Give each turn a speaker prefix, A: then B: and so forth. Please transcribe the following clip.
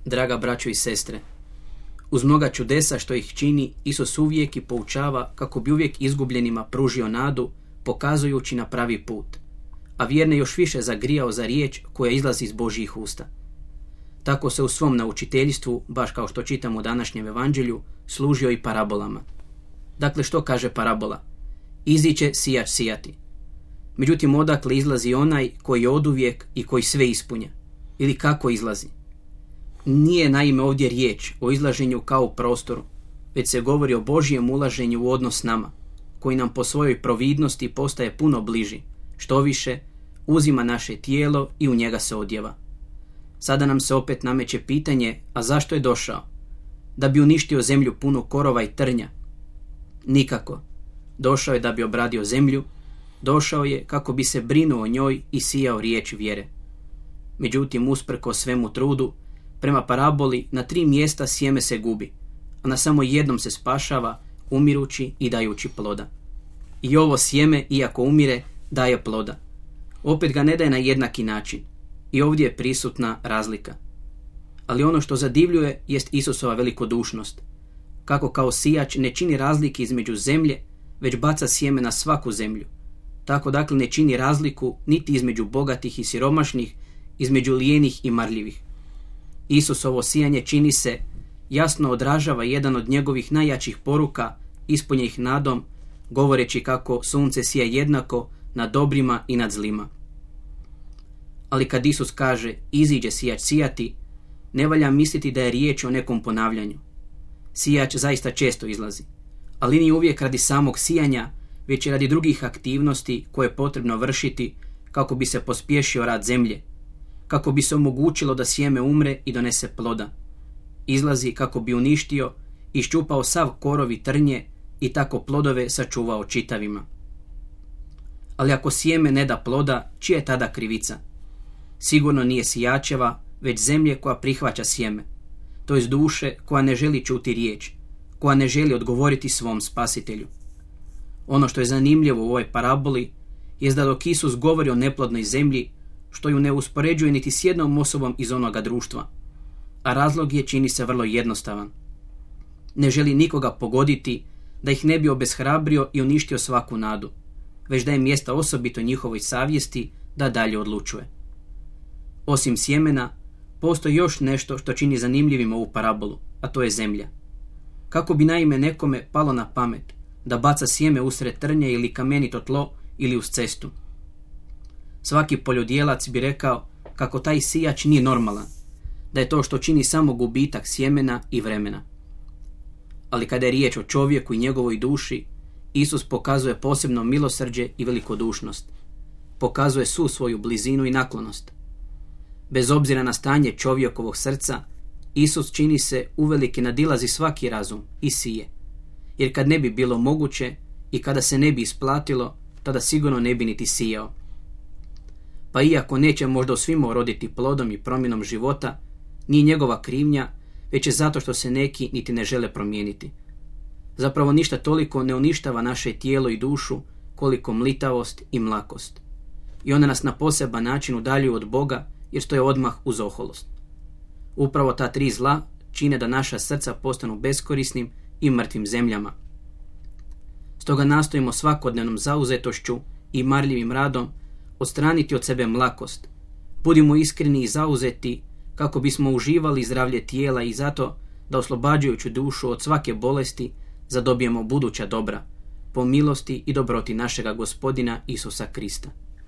A: Draga braćo i sestre, uz mnoga čudesa što ih čini, Isus uvijek i poučava kako bi uvijek izgubljenima pružio nadu, pokazujući na pravi put, a vjerne još više zagrijao za riječ koja izlazi iz Božjih usta. Tako se u svom naučiteljstvu, baš kao što čitamo u današnjem evanđelju, služio i parabolama. Dakle, što kaže parabola? Iziće sijač sijati. Međutim, odakle izlazi onaj koji je oduvijek i koji sve ispunja? Ili kako izlazi? Nije naime ovdje riječ o izlaženju kao u prostoru, već se govori o Božjem ulaženju u odnos s nama, koji nam po svojoj providnosti postaje puno bliži, što više uzima naše tijelo i u njega se odjeva. Sada nam se opet nameće pitanje, a zašto je došao? Da bi uništio zemlju punu korova i trnja? Nikako. Došao je da bi obradio zemlju, došao je kako bi se brinuo o njoj i sijao riječ vjere. Međutim, usprkos svemu trudu, prema paraboli na 3 mjesta sjeme se gubi, a na samo jednom se spašava, umirući i dajući ploda. I ovo sjeme, iako umire, daje ploda. Opet ga ne daje na jednaki način. I ovdje je prisutna razlika. Ali ono što zadivljuje jest Isusova velikodušnost. Kako kao sijač ne čini razlike između zemlje, već baca sjeme na svaku zemlju. Tako dakle ne čini razliku niti između bogatih i siromašnih, između lijenih i marljivih. Isusovo sijanje čini se jasno odražava jedan od njegovih najjačih poruka, ispunjenih nadom, govoreći kako sunce sija jednako nad dobrima i nad zlima. Ali kad Isus kaže iziđe sijač sijati, ne valja misliti da je riječ o nekom ponavljanju. Sijač zaista često izlazi, ali nije uvijek radi samog sijanja, već i radi drugih aktivnosti koje je potrebno vršiti kako bi se pospješio rad zemlje, kako bi se omogućilo da sjeme umre i donese ploda. Izlazi kako bi uništio i iščupao sav korov i trnje i tako plodove sačuvao čitavima. Ali ako sjeme ne da ploda, čija je tada krivica? Sigurno nije sijačeva, već zemlje koja prihvaća sjeme, to jest duše koja ne želi čuti riječ, koja ne želi odgovoriti svom spasitelju. Ono što je zanimljivo u ovoj paraboli je da dok Isus govori o neplodnoj zemlji, što ju ne uspoređuje niti s jednom osobom iz onoga društva, a razlog je čini se vrlo jednostavan. Ne želi nikoga pogoditi da ih ne bi obeshrabrio i uništio svaku nadu, već daje mjesta osobito njihovoj savjesti da dalje odlučuje. Osim sjemena, postoji još nešto što čini zanimljivim ovu parabolu, a to je zemlja. Kako bi naime nekome palo na pamet da baca sjeme usred trnja ili kamenito tlo ili uz cestu? Svaki poljodjelac bi rekao kako taj sijač nije normalan, da je to što čini samo gubitak sjemena i vremena. Ali kada je riječ o čovjeku i njegovoj duši, Isus pokazuje posebno milosrđe i velikodušnost. Pokazuje svu svoju blizinu i naklonost. Bez obzira na stanje čovjekovog srca, Isus čini se uvelike nadilazi svaki razum i sije. Jer kad ne bi bilo moguće i kada se ne bi isplatilo, tada sigurno ne bi niti sijao. Pa iako neće možda u svima uroditi plodom i promjenom života, nije njegova krivnja, već je zato što se neki niti ne žele promijeniti. Zapravo ništa toliko ne uništava naše tijelo i dušu koliko mlitavost i mlakost. I one nas na poseban način udaljuju od Boga jer stoje odmah uz oholost. Upravo ta 3 zla čine da naša srca postanu beskorisnim i mrtvim zemljama. Stoga nastojimo svakodnevnom zauzetošću i marljivim radom odstraniti od sebe mlakost. Budimo iskreni i zauzeti kako bismo uživali zdravlje tijela i zato da oslobađajući dušu od svake bolesti zadobijemo buduća dobra, po milosti i dobroti našega Gospodina Isusa Krista.